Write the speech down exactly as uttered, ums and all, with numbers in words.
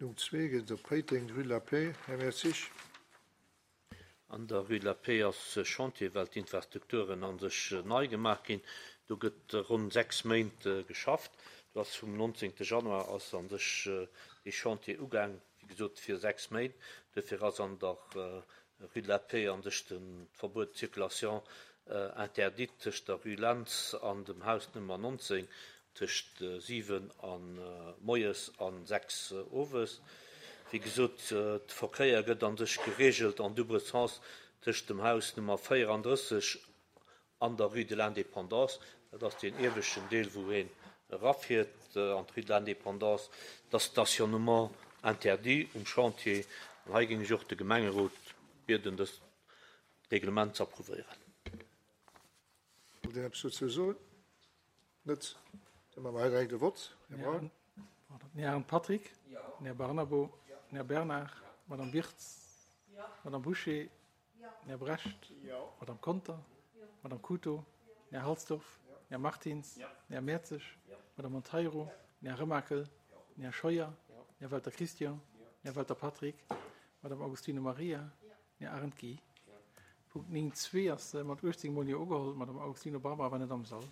Numm zwee geet et op Péiteng, rue de la Paix. Här Mertzig. An der rue de la Paix ass Chantier, well d'Infrastrukturen a sech nei gemaach ginn. Do gëtt ronn sechs Méint geschafft. Do ass vum nonzéngte Januar ass a sech dee Chantier ugaang, wéi gesot fir sechs Méint. Duerfir ass an der rue de la Paix a sech de Verbuet de circulation interdite tëscht der rue Lentz an dem Haus Nummer nonzéng tëscht siwen a moies a sechs owes. Wéi gesot, de Verkéier gëtt a sech geregelt en double sens tëscht dem Haus Nummer véierandrësseg an der rue de l'Indépendance. Dat ass deen ieweschten Deel, wou een erafiert an d'rue de l'Indépendance. Dat ass Stationnement interdit um Chantier. An hei géing ech och de Gemengerot bieden, dëst Reglement ze approuvéieren. Wollt een eppes dozou soen? Net? Da maache mer hei direkt e Vott. Här Braun. Den Här Patrick. Den Här Barnabo. Den Här Bernard. Madame Wirtz. Madame Bouché. Den Här Brecht. Madame Conter. Madame Couto. Den Här Halsdorf. Den Här Martins. Den Här Mertzig. Madame Monteiro. Den Här Remakel. Den Här Scheuer. Den Här Welter Christian. Den Här Welter Patrick. Madame Augustino Maria. Den Här Arendt Guy. Punkt néng zwee ass mat uechtzéng Mol Jo ugeholl. D'Madame Augustino Barbara war net am Sall.